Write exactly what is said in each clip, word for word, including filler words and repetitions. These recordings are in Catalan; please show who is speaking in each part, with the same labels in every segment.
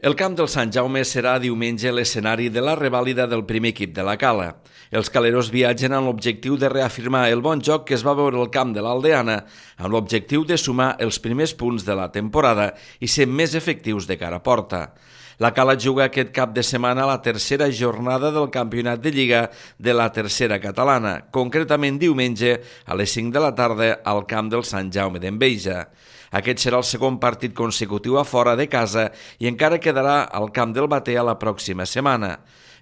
Speaker 1: El camp del Sant Jaume serà diumenge l'escenari de la revàlida del primer equip de la Cala. Els caleros viatgen amb l'objectiu de reafirmar el bon joc que es va veure al camp de l'Aldeana, amb l'objectiu de sumar els primers punts de la temporada i ser més efectius de cara a porta. La Cala juga aquest cap de setmana a la tercera jornada del campionat de Lliga de la tercera catalana, concretament diumenge a les cinc de la tarda al camp del Sant Jaume d'Enveja. Aquest serà el segon partit consecutiu a fora de casa i encara quedarà al camp del Batea la pròxima setmana.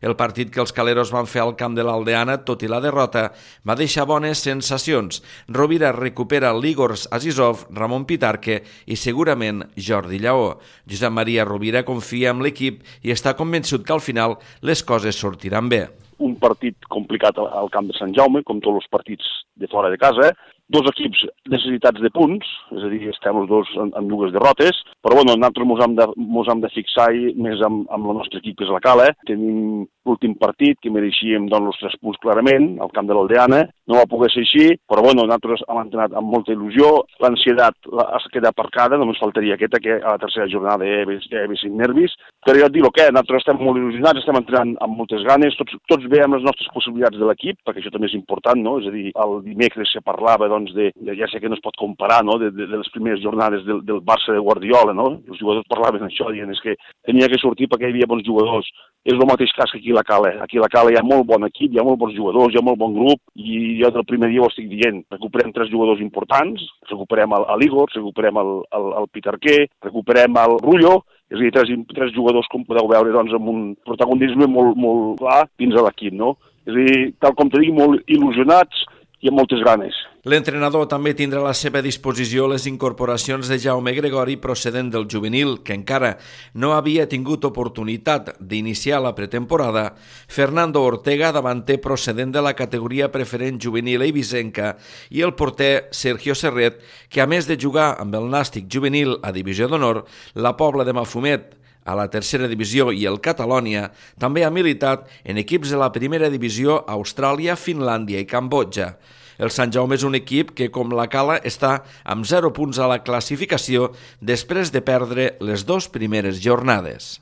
Speaker 1: El partit que els caleros van fer al camp de l'Aldeana, tot i la derrota, va deixar bones sensacions. Rovira recupera l'Igor Azizov, Ramon Pitarque i segurament Jordi Lleó. Josep Maria Rovira confia en l'equip i està convençut que al final les coses sortiran bé.
Speaker 2: Un partit complicat al camp de Sant Jaume, com tots els partits de fora de casa, dos equips necessitats de punts, és a dir, estem els dos en, en dues derrotes, però bueno, nosaltres mos hem de, mos hem de fixar més amb, amb el nostre equip, que és la Cala. Tenim l'últim partit, que mereixíem doncs, els tres punts clarament, al camp de l'Aldeana, no va poder ser així, però bueno, nosaltres hem entrenat amb molta il·lusió, l'ansietat es queda aparcada, només faltaria aquesta, que a la tercera jornada hi ha cinc nervis, però jo et dic el que, nosaltres estem molt il·lusionats, estem entrenant amb moltes ganes, tots, tots veiem les nostres possibilitats de l'equip, perquè això també és important, no? És a dir, el dimecres se parlava, doncs, de, de ja sé que no es pot comparar, no?, de, de, de les primeres jornades del, del Barça de Guardiola, no? Els jugadors parlaven això, dient és que tenia que sortir perquè hi havia bons jugadors. És el mateix cas que aquí a la Cala. Aquí a la Cala hi ha molt bon equip, hi ha molt bons jugadors, hi ha molt bon grup, i jo del primer dia ho estic dient. Recuperem tres jugadors importants, recuperem l'Igor, recuperem el, el, el Pitarque, recuperem el Rullo, és a dir, tres, tres jugadors, com podeu veure, doncs, amb un protagonisme molt, molt clar dins de l'equip, no? És a dir, tal com te dic, molt il·lusionats i amb moltes ganes.
Speaker 1: L'entrenador també tindrà a la seva disposició les incorporacions de Jaume Gregori procedent del juvenil, que encara no havia tingut oportunitat d'iniciar la pretemporada, Fernando Ortega, davanter procedent de la categoria preferent juvenil eivissenca, i el porter Sergio Serret, que a més de jugar amb el Nàstic juvenil a Divisió d'Honor, la Pobla de Mafumet a la tercera divisió i el Catalònia, també ha militat en equips de la primera divisió a Austràlia, Finlàndia i Cambodja. El Sant Jaume és un equip que, com la Cala, està amb zero punts a la classificació després de perdre les dues primeres jornades.